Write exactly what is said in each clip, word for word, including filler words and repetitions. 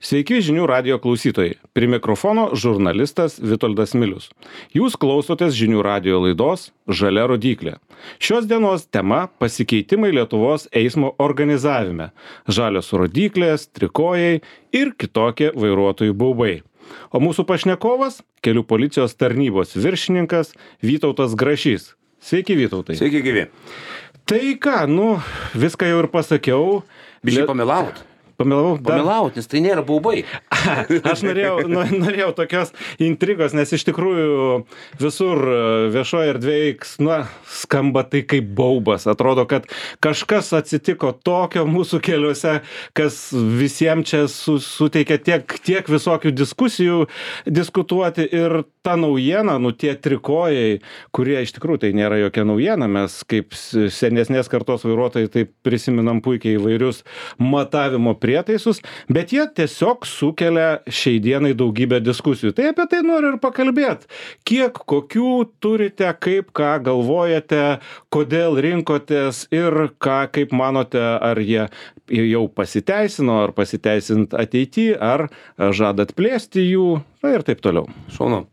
Sveiki žinių radijo klausytojai. Prie mikrofono žurnalistas Vitoldas Milius. Jūs klausotės žinių radijo laidos Žalia rodyklė. Šios dienos tema – pasikeitimai Lietuvos eismo organizavime. Žalios rodyklės, trikojai ir kitokie vairuotojų baubai. O mūsų pašnekovas – kelių policijos tarnybos viršininkas Vytautas Grašys. Sveiki, Vytautai. Sveiki, gyvi. Tai ką, nu, viską jau ir pasakiau. Biškai pamilaut. Pamilau, Pamilaut, nes tai nėra baubai. Aš norėjau, norėjau tokios intrigos, nes iš tikrųjų visur viešoje erdvėje nu, skamba tai kaip baubas. Atrodo, kad kažkas atsitiko tokio mūsų keliuose, kas visiems čia su, suteikia tiek, tiek visokių diskusijų diskutuoti. Ir ta naujiena, nu tie trikojai, kurie iš tikrųjų tai nėra jokia naujiena, mes kaip senesnės kartos vairuotojai tai prisiminam puikiai įvairius matavimo prietaisus, bet jie tiesiog sukelia šiai dienai daugybę diskusijų. Tai apie tai noriu ir pakalbėti. Kiek, kokių turite, kaip, ką galvojate, kodėl rinkotės ir ką, kaip manote, ar jie jau pasiteisino, ar pasiteisint ateityje, ar žadat plėsti jų, na ir taip toliau. Šaunu.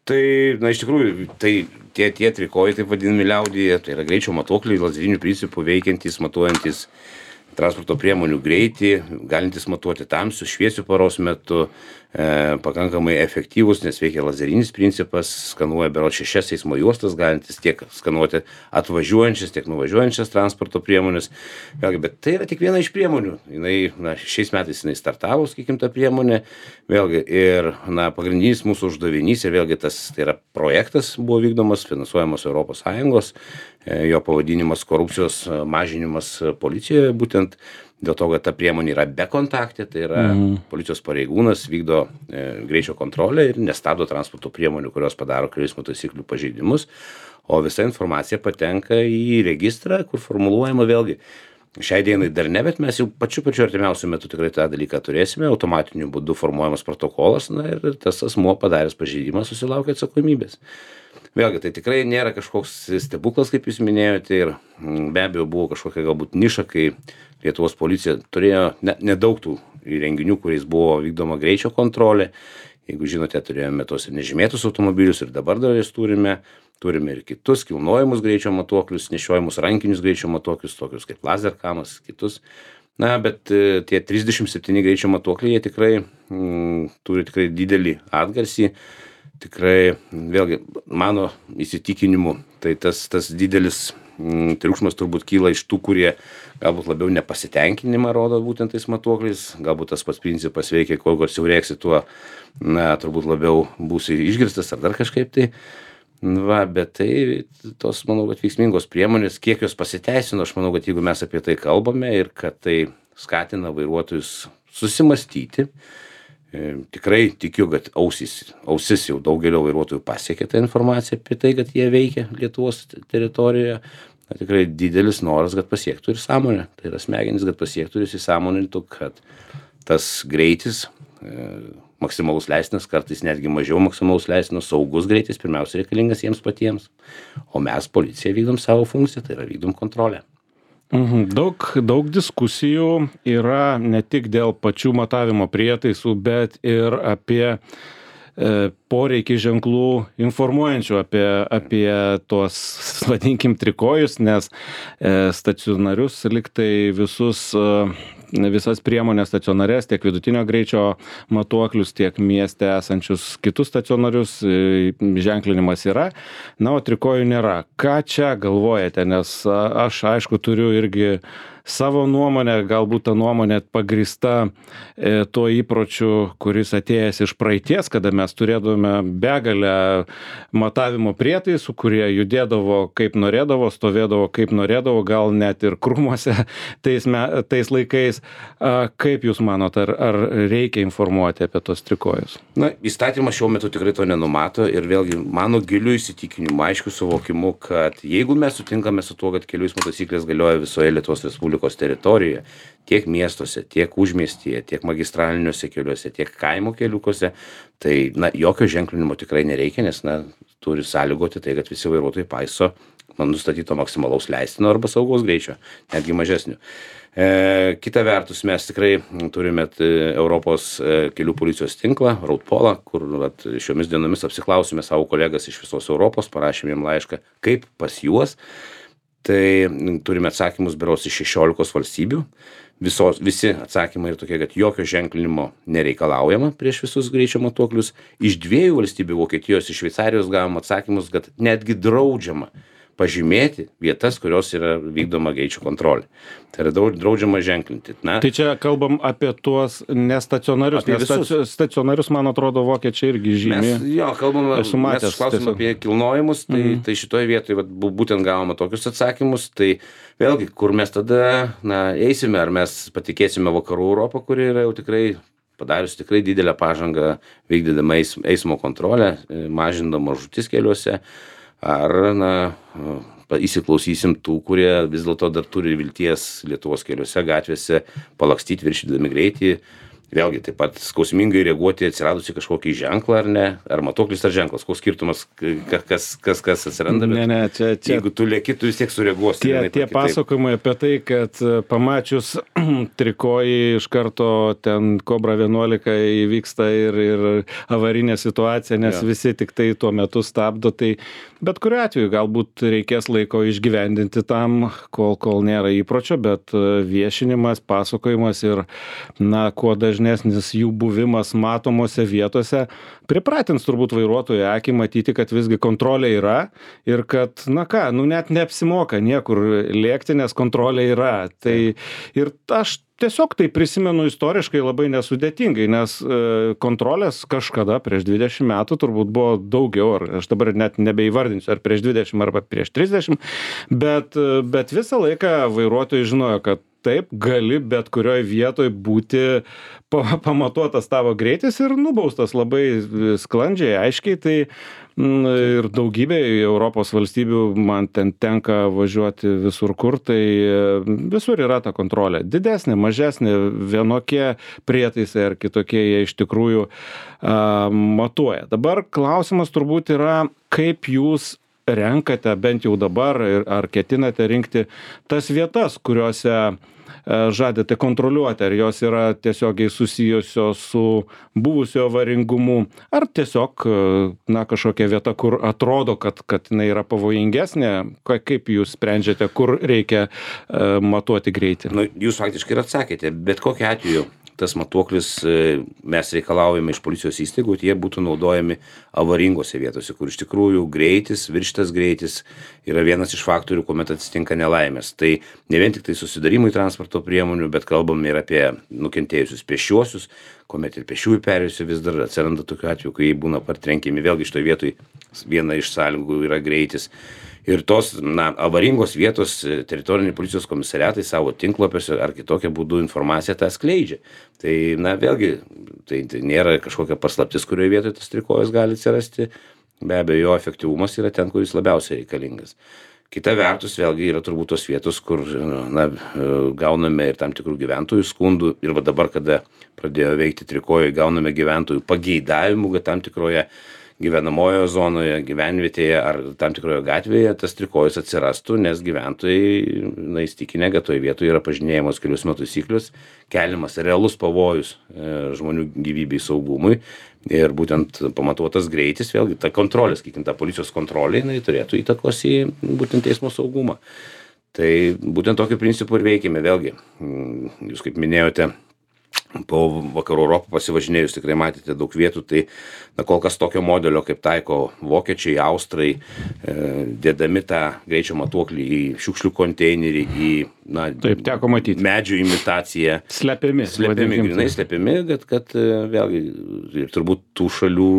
Tai, na, iš tikrųjų, tai tie, tie trikojai, taip vadinami liaudyje, tai yra greičio matuokliai, lazerinių principų veikiantys, matuojantis transporto priemonių greitį, galintys matuoti tamsių, šviesių paros metu, e, pakankamai efektyvus, nes veikia lazerinis principas, skanuoja berods šešias eismo juostas, galintis tiek skanuoti atvažiuojančias, tiek nuvažiuojančias transporto priemonės. Vėlgi, bet tai yra tik viena iš priemonių. Jinai, na, šiais metais jinai startavo, sakykim, ta priemonė. Vėlgi, ir, na, pagrindinis mūsų uždavinys, ir vėlgi tas, tai yra projektas buvo vykdomas, finansuojamas Europos Sąjungos, jo pavadinimas korupcijos mažinimas policijoje, būtent dėl to, kad ta priemonė yra bekontaktė, tai yra mm. policijos pareigūnas vykdo e, greičio kontrolę ir nestabdo transporto priemonių, kurios padaro kelių eismo taisyklių pažeidimus, o visa informacija patenka į registrą, kur formuluojama vėlgi. Šiai dienai dar ne, bet mes jau pačiu pačiu artimiausiu metu tikrai tą dalyką turėsime, automatiniu būdu formuojamas protokolas, na ir tas asmuo padaręs pažeidimą susilaukia atsakomybės. Vėlgi, tai tikrai nėra kažkoks stebuklas, kaip jūs minėjote, ir be abejo buvo kažkokia galbūt niša, kai Lietuvos policija turėjo ne, nedaug tų įrenginių, kuriais buvo vykdoma greičio kontrolė. Jeigu žinote, turėjome tos ir nežymėtus automobilius ir dabar dar jas turime. Turime ir kitus kilnojimus greičio matuoklius, nešiojimus rankinius greičio matuoklius, tokius kaip lazerkamas, kitus. Na, bet tie trisdešimt septyni greičio matuokliai, jie tikrai mm, turi tikrai didelį atgarsį. Tikrai, vėlgi, mano įsitikinimu, tai tas, tas didelis mm, triukšmas turbūt kyla iš tų, kurie galbūt labiau nepasitenkinimą rodo būtent tais matuokliais. Galbūt tas pats principas veikia, kuo garsiau rėksi, tuo, na, turbūt labiau būsi išgirstas ar dar kažkaip tai. Va, bet tai tos, manau, kad veiksmingos priemonės, kiek jos pasiteisino, aš manau, kad jeigu mes apie tai kalbame ir kad tai skatina vairuotojus susimastyti, e, tikrai tikiu, kad ausis, ausis jau daugelio vairuotojų pasiekė tą informaciją apie tai, kad jie veikia Lietuvos teritorijoje. Na, tikrai didelis noras, kad pasiektų ir sąmonę. Tai yra smegenys, kad pasiektų ir įsisąmonintų, kad tas greitis, e, maksimalus leistinas, kartais netgi mažiau maksimalus leistinas, saugus greitis, pirmiausia reikalingas jiems patiems. O mes, policija, vykdom savo funkciją, tai yra vykdom kontrolę. Mhm. Daug, daug diskusijų yra ne tik dėl pačių matavimo prietaisų, bet ir apie e, poreikį ženklų informuojančių apie, apie tuos, vadinkim, trikojus, nes e, stacionarius liktai visus e, visas priemonės stacionarės, tiek vidutinio greičio matuoklius, tiek mieste esančius kitus stacionarius ženklinimas yra, na, o trikojų nėra. Ką čia galvojate, nes aš, aišku, turiu irgi savo nuomonę, galbūt ta nuomonė pagrįsta e, tuo įpročiu, kuris atėjęs iš praeities, kada mes turėdavome begalę matavimo prietaisų, kurie judėdavo kaip norėdavo, stovėdavo kaip norėdavo, gal net ir krūmuose tais, me, tais laikais. A, kaip jūs manot, ar, ar reikia informuoti apie tos trikojus? Na, įstatymas šiuo metu tikrai to nenumato ir vėlgi mano giliu įsitikinimu, aišku suvokimu, kad jeigu mes sutinkame su tuo, kad kelių eismo taisyklės galioja visoje Lietuvos Respublikos teritorijoje, tiek miestuose, tiek užmiestyje, tiek magistraliniuose keliuose, tiek kaimo keliukuose, tai, na, jokio ženklinimo tikrai nereikia, nes, na, turi sąlygoti tai, kad visi vairuotojai paiso man nustatyto maksimalaus leistino arba saugaus greičio, netgi mažesnio. E, kita vertus, mes tikrai turime Europos kelių policijos tinklą, Roadpolą, kur vat, šiomis dienomis apsiklausime savo kolegas iš visos Europos, parašėme jiem laišką, kaip pas juos. Tai turime atsakymus berods iš šešiolikos valstybių. Visos, visi atsakymai yra tokie, kad jokio ženklinimo nereikalaujama prieš visus greičio matuoklius. Iš dviejų valstybių, Vokietijos ir Šveicarijos, gavom atsakymus, kad netgi draudžiama pažymėti vietas, kurios yra vykdoma greičio kontrolė. Tai yra draudžiama ženklinti. Na, tai čia kalbam apie tuos nestacionarius. Apie nes stacionarius, man atrodo, vokiečiai irgi žymi. Mes, jo, kalbam, mes išklausim apie kilnojimus, tai, mm. tai šitoje vietoje vat, būtent gavome tokius atsakymus. Tai vėlgi, kur mes tada na, eisime, ar mes patikėsime Vakarų Europą, kuri yra jau tikrai padarius tikrai didelę pažangą vykdydama eismo kontrolę, mažindama žūtis keliuose, ar na, įsiklausysim tų, kurie vis dėlto dar turi vilties Lietuvos keliuose, gatvėse palakstyti viršydami greitį. Vėlgi, taip pat skausmingai reaguoti atsiradusi kažkokį ženklą ar ne, ar matuoklis ar ženklas, koks skirtumas, kas, kas, kas atsiranda, bet ne, ne, čia, čia, jeigu tu lėki, tu vis tiek sureaguosi. Tie, tie pasakojimai apie tai, kad pamačius trikojį iš karto ten Kobra vienuolika įvyksta ir, ir avarinė situacija, nes ja. Visi tik tai tuo metu stabdo, tai bet kuriuo atveju galbūt reikės laiko išgyvendinti tam, kol, kol nėra įpročio, bet viešinimas, pasakojimas ir, na, kuo dažniau nes jų buvimas matomose vietose pripratins turbūt vairuotojų akį matyti, kad visgi kontrolė yra ir kad, na ką, nu net neapsimoka niekur lėkti, nes kontrolė yra. Tai ir aš tiesiog tai prisimenu istoriškai labai nesudėtingai, nes kontrolės kažkada prieš dvidešimt metų turbūt buvo daugiau, ar aš dabar net nebeįvardinsiu, ar prieš dvidešimt arba prieš trisdešimt, bet, bet visą laiką vairuotojai žinojo, kad taip, gali bet kurioj vietoj būti pamatuotas tavo greitis ir nubaustas labai sklandžiai, aiškiai. Tai ir daugybė Europos valstybių man ten tenka važiuoti visur kur, tai visur yra ta kontrolė. Didesnė, mažesnė, vienokie prietaisai ar kitokie jie iš tikrųjų a, matuoja. Dabar klausimas turbūt yra, kaip jūs renkate bent jau dabar ar ketinate rinkti tas vietas, kuriuose žadate kontroliuoti, ar jos yra tiesiogiai susijusios su buvusio avaringumu, ar tiesiog na, kažkokia vieta, kur atrodo, kad, kad jinai yra pavojingesnė, kaip jūs sprendžiate, kur reikia uh, matuoti greitį? Nu, jūs faktiškai ir atsakėte, bet kokiu atveju tas matuoklis mes reikalaujame iš policijos įstaigų, jie būtų naudojami avaringose vietose, kur iš tikrųjų greitis, viršytas greitis yra vienas iš faktorių, kuomet atsitinka nelaimės. Tai ne vien tik tai susidarimai transporto priemonių, bet kalbam ir apie nukentėjusius pėsčiuosius, kuomet ir pėsčiųjų perėjusių vis dar atsiranda tokiu atveju, kai jie būna partrenkiami. Vėlgi šitoje vietoje viena iš sąlygų yra greitis. Ir tos na, avaringos vietos teritoriniai policijos komisariatai savo tinklapiuose ar kitokią būdų informaciją tą skleidžia. Tai, na, vėlgi, tai, tai nėra kažkokia paslaptis, kurioje vietoje tas trikojus gali atsirasti. Be abejo, jo efektyvumas yra ten, kur jis labiausiai reikalingas. Kita vertus, vėlgi, yra turbūt tos vietos, kur na, gauname ir tam tikrų gyventojų skundų. Ir va dabar, kada pradėjo veikti trikojai, gauname gyventojų pageidavimų, kad tam tikroje gyvenamojoje zonoje, gyvenvietėje ar tam tikroje gatvėje tas trikojus atsirastų, nes gyventojai na, įstikinę, kad toje vietoje yra pažinėjamos kelių eismo taisyklius, keliamas realus pavojus e, žmonių gyvybei saugumui ir būtent pamatuotas greitis, vėlgi ta kontrolė, sakykim, ta policijos kontrolė, jinai turėtų įtakos į būtent eismo saugumą. Tai būtent tokiu principu ir veikime, vėlgi, jūs kaip minėjote, po Vakarų Europą pasivažinėjus tikrai matėte daug vietų, tai na, kol kas tokio modelio, kaip taiko vokiečiai, austrai, e, dėdami tą greičio matuoklį į šiukšlių konteinerį, į na, taip, teko matyti. Medžių imitaciją. Slepiami. Slepiami, grinai slepiami, kad, kad vėlgi ir turbūt tų šalių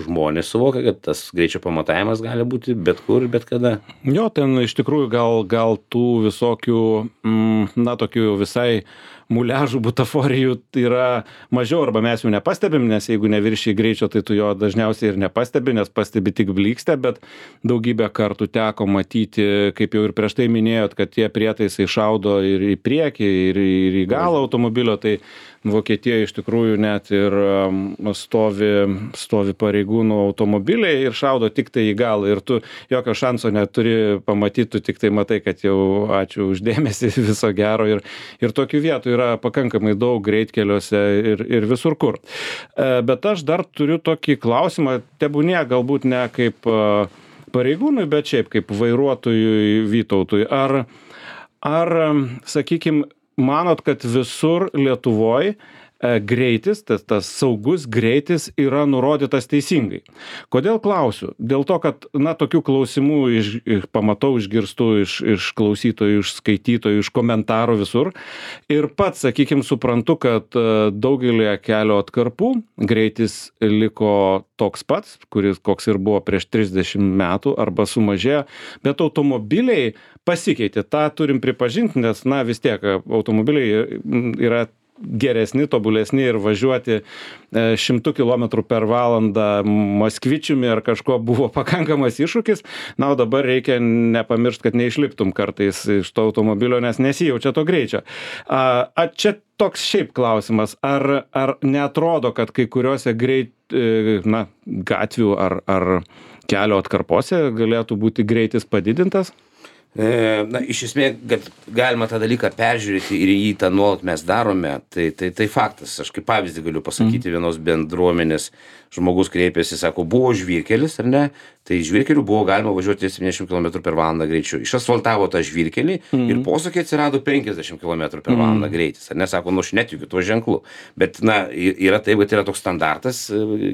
žmonės suvokia, kad tas greičio pamatavimas gali būti bet kur, bet kada. Jo, ten iš tikrųjų gal, gal tų visokių, mm, na, tokių visai muliažų, butaforijų yra mažiau, arba mes jų nepastebim, nes jeigu neviršiai greičio, tai tu jo dažniausiai ir nepastebi, nes pastebi tik blykstę, bet daugybę kartų teko matyti, kaip jau ir prieš tai minėjot, kad tie prietaisai šaudo ir į priekį, ir, ir į galą automobilio, tai Vokietijoje iš tikrųjų net ir stovi, stovi pareigūnų automobiliai ir šaudo tik tai į galą ir tu jokio šanso neturi pamatyti, tu tik tai matai, kad jau ačiū uždėmesį, viso gero ir, ir tokių vietų yra pakankamai daug greitkeliuose ir, ir visur kur. Bet aš dar turiu tokį klausimą, tebūnie galbūt ne kaip pareigūnui, bet šiaip kaip vairuotojui Vytautui. Ar, ar sakykime, manot, kad visur Lietuvoje greitis, tas, tas saugus greitis yra nurodytas teisingai? Kodėl klausiu? Dėl to, kad, na, tokių klausimų iš, iš, pamatau, išgirstu iš, iš klausytojų, iš skaitytojų, iš komentarų visur. Ir pats, sakykime, suprantu, kad daugelį kelio atkarpų greitis liko toks pats, kuris koks ir buvo prieš trisdešimt metų arba sumažėjo, bet automobiliai pasikeitė. Ta turim pripažinti, nes, na, vis tiek automobiliai yra geresni, tobulesni ir važiuoti šimtų kilometrų per valandą Moskvičiumi ar kažko buvo pakankamas iššūkis. Na, o dabar reikia nepamiršti, kad neišliptum kartais iš to automobilio, nes nesijaučia to greičio. A, a čia toks šiaip klausimas, ar, ar neatrodo, kad kai kuriuose greit, na, gatvių ar, ar kelio atkarpose galėtų būti greitis padidintas? Na, iš esmės, kad galima tą dalyką peržiūrėti ir jį tą nuolat mes darome, tai, tai, tai faktas. Aš kaip pavyzdį galiu pasakyti mm. vienos bendruomenės, žmogus kreipėsi, sako, buvo žvyrkelis, ar ne? Tai žvyrkeliu buvo galima važiuoti septyniasdešimt kilometrų per valandą greičiu. Išasfaltavo tą žvyrkelį mm. ir posūkiai atsirado penkiasdešimt kilometrų per valandą mm. greitis. Ar ne, sako, nu aš netikiu tuo ženklu. Bet, na, yra taip, kad yra toks standartas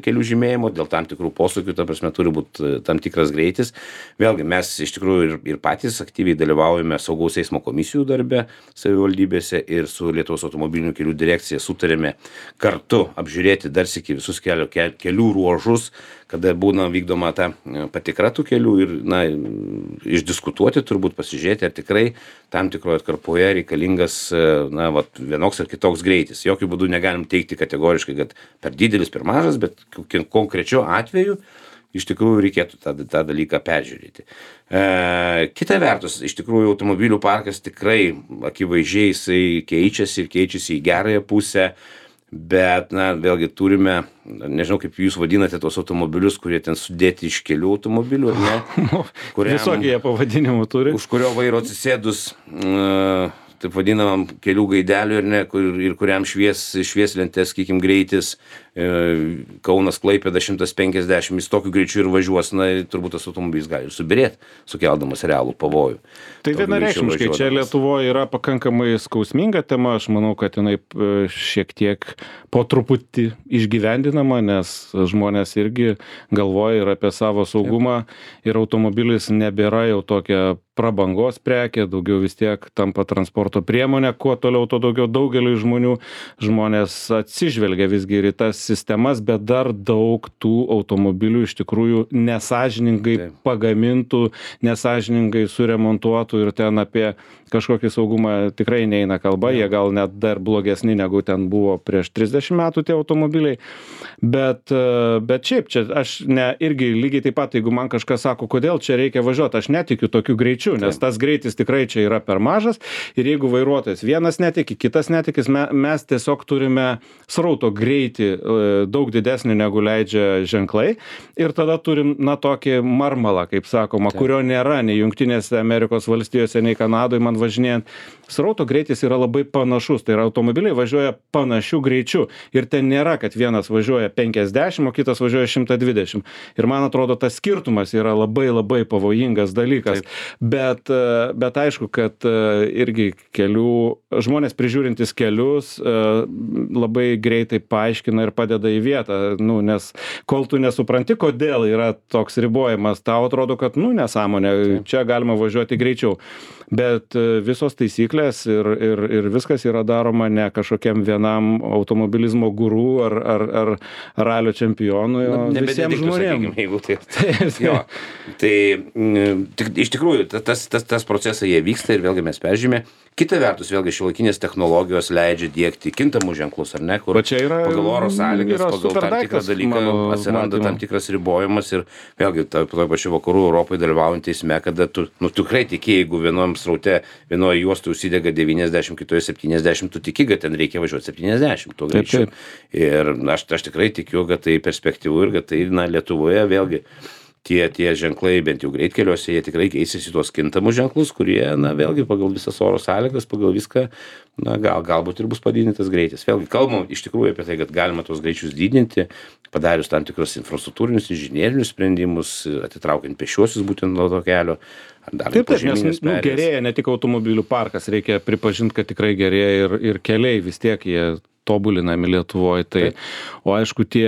kelių žymėjimo, dėl tam tikrų posūkių, ta prasme, turi būti tam tikras greitis. Vėlgi, mes iš tikrųjų ir, ir patys aktyviai dalyvaujame saugaus eismo komisijų darbe savivaldybėse ir su Lietuvos automobilinių kelių direkcija sutarėme kartu apžiūrėti dar sykį visus kelio, kelių ruožus, kada būna vykdoma ta patikra tų kelių ir, na, išdiskutuoti, turbūt pasižiūrėti, ar tikrai tam tikroje atkarpoje reikalingas, na, vat, vienoks ar kitoks greitis. Jokių būdų negalim teikti kategoriškai, kad per didelis, per mažas, bet konkrečiu atveju iš tikrųjų reikėtų tą, tą dalyką peržiūrėti. E, kita vertus, iš tikrųjų automobilių parkas tikrai akivaizdžiai jisai keičiasi ir keičiasi į gerąją pusę, bet, na, vėlgi turime, nežinau, kaip jūs vadinate tos automobilius, kurie ten sudėti iš kelių automobilių, ar ne? Kuriam, visokie jie pavadinimų turi. Už kurio vairo atsisėdus, uh, taip vadinamam kelių gaidelių, ir ne, kur, ir kuriam švies, švieslentės, sakykim, greitis, e, Kaunas Klaipėda šimtas penkiasdešimt, jis tokiu greičiu ir važiuos, na, turbūt tas automobilis gali ir subirėti, sukeldamas realų pavojų. Tai vienareikšmiškai, čia Lietuvoje yra pakankamai skausminga tema, aš manau, kad jinai šiek tiek po truputį išgyvendinama, nes žmonės irgi galvoja ir apie savo saugumą ir automobilis nebėra jau tokia prabangos prekė, daugiau vis tiek tampa transporto priemonė, kuo toliau, to daugiau daugeliui žmonių žmonės atsižvelgia visgi ir į tas sistemas, bet dar daug tų automobilių iš tikrųjų nesąžiningai Taip. pagamintų, nesąžiningai suremontuotų ir ten apie kažkokį saugumą tikrai neina kalba, jie gal net dar blogesni negu ten buvo prieš trisdešimt metų tie automobiliai, bet, bet šiaip čia aš ne, irgi lygiai taip pat, jeigu man kažkas sako, kodėl čia reikia važiuoti, aš netikiu tokiu greičiu, nes tas greitis tikrai čia yra per mažas ir jeigu vairuotojas vienas netiki, kitas netikis, me, mes tiesiog turime srauto greitį daug didesnį negu leidžia ženklai ir tada turim, na, tokį marmalą, kaip sakoma, Taip. kurio nėra nei Jungtinėse Amerikos valstijose, nei Kanadoje man važinėjant. Srauto greitis yra labai panašus, tai yra automobiliai važiuoja panašiu greičiu ir ten nėra, kad vienas važiuoja penkiasdešimt, o kitas važiuoja šimtas dvidešimt. Ir man atrodo, tas skirtumas yra labai labai pavojingas dalykas. Taip. Bet, bet aišku, kad irgi kelių, žmonės prižiūrintis kelius labai greitai paaiškina ir padeda į vietą, nu, nes kol tu nesupranti, kodėl yra toks ribojimas, tau atrodo, kad, nu, nesąmonė, čia galima važiuoti greičiau. Bet visos taisyklės ir, ir, ir viskas yra daroma ne kažkokiam vienam automobilizmo guru ar, ar, ar ralio čempionui, o Na, visiems žmonėms. Jeigu tai, jo, tai tik, iš tikrųjų tas, tas, tas procesai jie vyksta ir vėlgi mes peržiūrime. Kita vertus, vėlgi šiuolaikinės technologijos leidžia diegti kintamus ženklus, ar ne, kur Va čia yra, pagal oro sąlygas, yra pagal tam tikrą superdaiktas, dalyką mano atsiranda matymu. tam tikras ribojimas ir vėlgi ta- toj pačioj vakarų Europoje dalyvaujant eisme, kada tu, nu, tikrai tiki, jeigu vienom sraute, vienoje juostoje užsidega devyniasdešimt, kitoje septyniasdešimt, tu tiki, kad ten reikia važiuoti septyniasdešimt tuo Taip, greičiu. taip. Ir aš, aš tikrai tikiu, kad tai perspektyvu ir kad tai, na, Lietuvoje vėlgi tie, tie ženklai, bent jau greitkeliuose, jie tikrai keisis į tuos kintamus ženklus, kurie, na, vėlgi pagal visas oro sąlygas, pagal viską, na, gal, galbūt ir bus padidintas greitis. Vėlgi kalbam iš tikrųjų apie tai, kad galima tuos greičius didinti, padarius tam tikrus infrastruktūrinius, inžinierinius sprendimus, atitraukiant pešiuosius būtent nuo to kelio. ar dar Taip, taip, nes požeminės nu, perėjos. gerėja ne tik automobilių parkas, reikia pripažinti, kad tikrai gerėja ir, ir keliai vis tiek jie tobulinami Lietuvoje. Tai, Taip. o aišku, tie,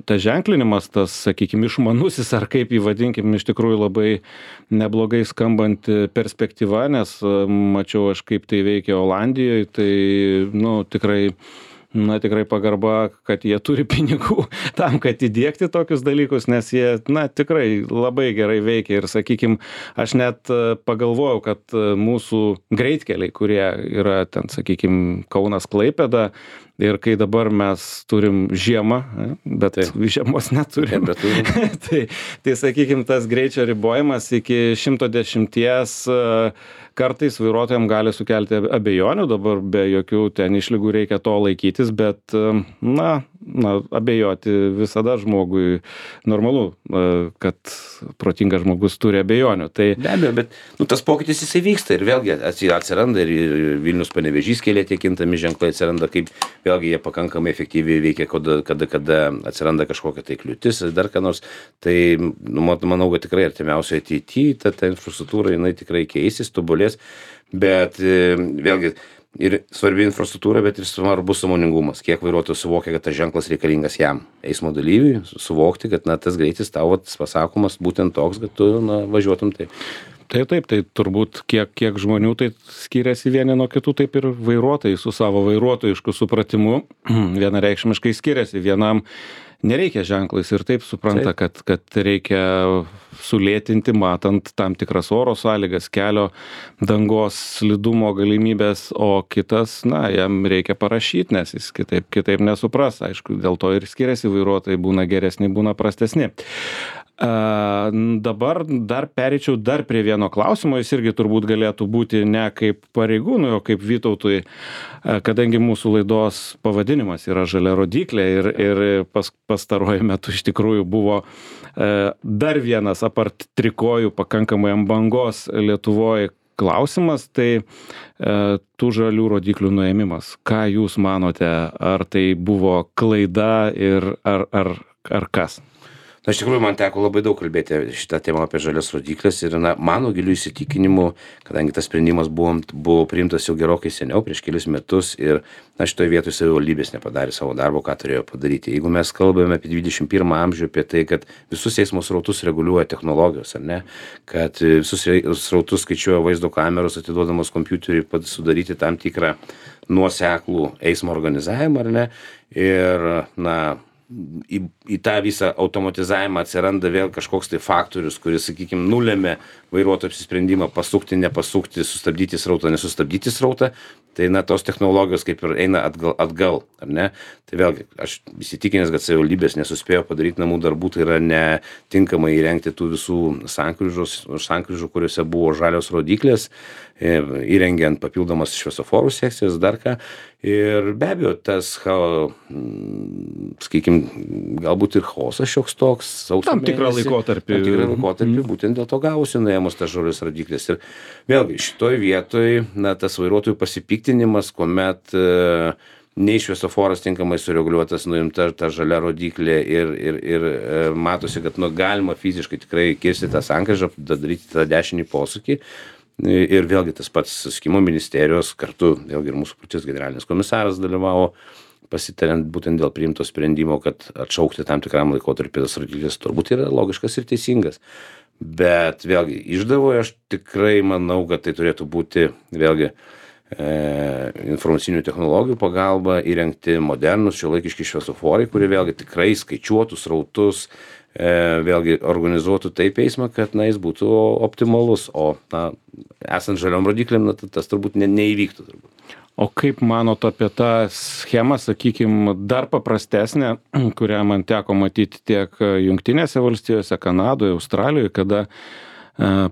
tas ženklinimas, tas, sakykime, išmanusis, ar kaip jį vadinkim, iš tikrųjų labai neblogai skambanti perspektyva, nes e, mačiau aš, kaip tai veikia Olandijoje, tai, nu, tikrai na, tikrai pagarba, kad jie turi pinigų tam, kad įdiegti tokius dalykus, nes jie, na, tikrai labai gerai veikia ir, sakykime, aš net e, pagalvojau, kad e, mūsų greitkeliai, kurie yra ten, sakykime, Kaunas Klaipėda, ir kai dabar mes turim žiemą, e, bet Taip. žiemos neturim, Nebeturim. tai, tai sakykime, tas greičio ribojimas iki šimto dešimties e, kartais vairuotojams gali sukelti abejonių, dabar be jokių ten išlygų reikia to laikytis, bet, e, na, na, abejoti visada žmogui normalu, e, kad protingas žmogus turi abejonių. Tai Be abejo, bet nu, tas pokytis jisai vyksta ir vėlgi atsi- atsiranda ir ir Vilnius Panevėžys kelyje tie kintami ženklai atsiranda, kaip vėlgi jie pakankamai efektyviai veikia, kada, kada, kada atsiranda kažkokia tai kliūtis, dar ką nors. Tai nu, mat- manau, kad tikrai artimiausioje ateityje ta, ta infrastruktūra jinai tikrai keisis, tobulės, bet e, vėlgi ir svarbi infrastruktūra, bet ir svarbus sąmoningumas, kiek vairuotojas suvokia, kad tas ženklas reikalingas jam, eismo dalyviui, suvokti, kad na, tas greitis tau vat pasakomas būtent toks, kad tu na, važiuotum taip. Tai taip, tai turbūt kiek, kiek žmonių tai skiriasi vieni nuo kitų, taip ir vairuotojai su savo vairuotojišku supratimu vienareikšmiškai skiriasi. Vienam nereikia ženklais ir taip supranta, kad, kad reikia sulėtinti, matant tam tikras oro sąlygas, kelio dangos slidumo galimybės, o kitas, na, jam reikia parašyti, nes jis kitaip, kitaip nesupras. Aišku, dėl to ir skiriasi vairuotojai, būna geresni, būna prastesni. A, dabar dar pereičiau dar prie vieno klausimo, jis irgi turbūt galėtų būti ne kaip pareigūnui, o kaip Vytautui, a, kadangi mūsų laidos pavadinimas yra žalia rodyklė ir, ir pas, pastaruoju metu iš tikrųjų buvo a, dar vienas apart trikojų pakankamai ant bangos Lietuvoje klausimas, tai e, tų žalių rodiklių nuėmimas. Ką jūs manote, ar tai buvo klaida ir ar, ar, ar kas? Na, iš tikrųjų, man teko labai daug kalbėti šitą temą apie žalias rodiklės ir na, mano gilių įsitikinimu, kadangi tas sprendimas buvo, buvo priimtas jau gerokai seniau, prieš kelius metus ir na, šitoje vietoje savivaldybės nepadarė savo darbo, ką turėjo padaryti. Jeigu mes kalbame apie dvidešimt pirmą amžių, apie tai, kad visus eismo srautus reguliuoja technologijos, ar ne, kad visus srautus skaičiuoja vaizdo kameros, atiduodamos kompiuteriui, sudaryti tam tikrą nuoseklų eismo organizavimą, ar ne, ir na, į, į tą visą automatizavimą atsiranda vėl kažkoks tai faktorius, kuris, sakykime, nulėmė vairuotojų apsisprendimą pasukti, nepasukti, sustabdyti srautą, nesustabdyti srautą, tai na, tos technologijos kaip ir eina atgal, atgal, ar ne? Tai vėlgi, aš įsitikinęs, kad savivaldybės nesuspėjo padaryti namų darbų, tai yra netinkamai įrengti tų visų sankryžų, kuriuose buvo žalios rodiklės, įrengiant papildomas šviesoforų sekcijas, dar ką. Ir be abejo, tas, sakykime, galbūt ir chaosas šioks toks. Tam tikrą laikotarpį. Tam tikrą laikotarpį, būtent dėl to gausi nuėmus tas žalios rodiklės. Ir vėlgi, šitoj vietoj, na, tas vairuotojų pasipiktinimas, kuomet e, nei šviesoforas tinkamai sureguliuotas, nuimta ta žalia rodiklė ir, ir, ir e, matosi, kad nu, galima fiziškai tikrai kirsti tą sankryžą, daryti tą dešinį posūkį. Ir vėlgi tas pats susisiekimo ministerijos kartu, vėlgi ir mūsų pačios generalinis komisaras dalyvavo, pasitariant būtent dėl priimto sprendimo, kad atšaukti tam tikram laikotarpį tas rodiklės turbūt yra logiškas ir teisingas. Bet vėlgi išdavoje aš tikrai manau, kad tai turėtų būti vėlgi e, informacinių technologijų pagalba įrengti modernus šiuolaikiški šviesoforai, kurie vėlgi tikrai skaičiuotų srautus, e, vėlgi organizuotų taip eismą, kad na, jis būtų optimalus. O na, esant žaliom rodikliam, na, tas turbūt ne, neįvyktų. Turbūt. O kaip manot apie tą schemą, sakykime, dar paprastesnę, kurią man teko matyti tiek Jungtinėse valstijose, Kanadoje, Australijoje, kada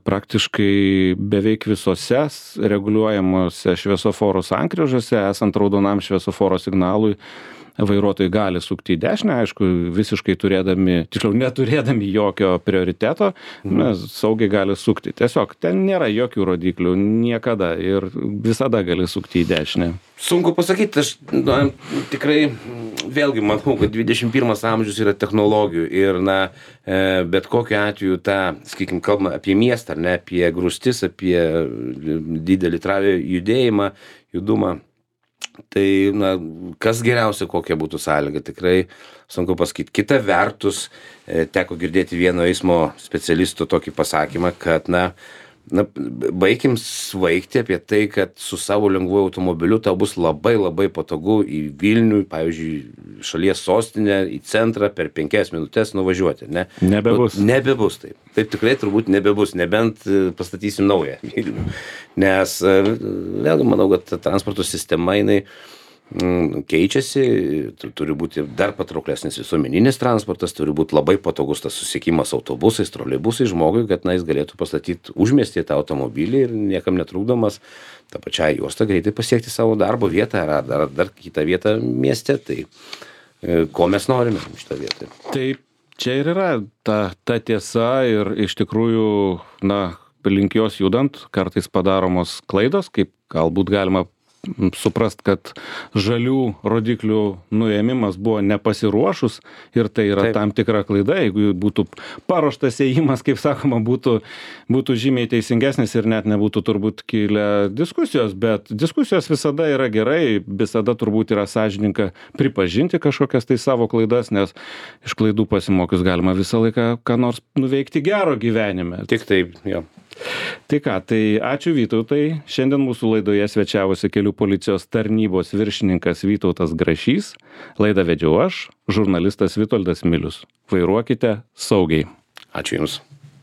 praktiškai beveik visose reguliuojamuose šviesoforo sankryžose, esant raudonam šviesoforo signalui, vairuotojai gali sukti į dešinę, aišku, visiškai turėdami, tiksliau, neturėdami jokio prioriteto, nes saugiai gali sukti. Tiesiog ten nėra jokių rodiklių niekada ir visada gali sukti į dešinę. Sunku pasakyti, aš na, tikrai vėlgi manau, kad dvidešimt pirmas amžius yra technologijų ir na, bet kokiu atveju tą, sakykime, kalbame apie miestą, ar ne, apie grūstis, apie didelį travį judėjimą, judumą. Tai, na, kas geriausia, kokia būtų sąlyga, tikrai sunku pasakyti. Kita vertus, teko girdėti vieno eismo specialisto tokį pasakymą, kad, na, na, baikim svaigti apie tai, kad su savo lengvuoju automobiliu tau bus labai labai patogu į Vilnių, pavyzdžiui, šalies sostinę, į centrą per penkias minutės nuvažiuoti, ne? Nebebus. Nu, nebebus taip. Taip tikrai turbūt nebebus, nebent pastatysim naują Vilnių. Nes, vėlgi, manau, kad transporto sistema, jinai keičiasi, turi būti dar patrauklesnis visuomeninis transportas, turi būti labai patogus tas susiekimas autobusais, troleibusais žmogui, kad na, jis galėtų pastatyti užmiestyje tą automobilį ir niekam netrukdomas tą pačią juostą greitai pasiekti savo darbo vietą ar dar, dar kitą vietą mieste. Tai ko mes norime šitą vietą? Taip, čia ir yra ta, ta tiesa ir iš tikrųjų, na, link jos judant, kartais padaromos klaidos, kaip galbūt galima suprast, kad žalių rodiklių nuėmimas buvo nepasiruošus ir tai yra Taip. Tam tikra klaida, jeigu būtų paruoštas ėjimas, kaip sakoma, būtų, būtų žymiai teisingesnis ir net nebūtų turbūt kilę diskusijos, bet diskusijos visada yra gerai, visada turbūt yra sąžininga pripažinti kažkokias tai savo klaidas, nes iš klaidų pasimokius galima visą laiką ką nors nuveikti gero gyvenime. Tik taip, jo. Tai ką, tai ačiū Vytautai. Šiandien mūsų laidoje svečiavosi kelių policijos tarnybos viršininkas Vytautas Grašys. Laidą vedžiau aš, žurnalistas Vitoldas Milius. Vairuokite saugiai. Ačiū Jums.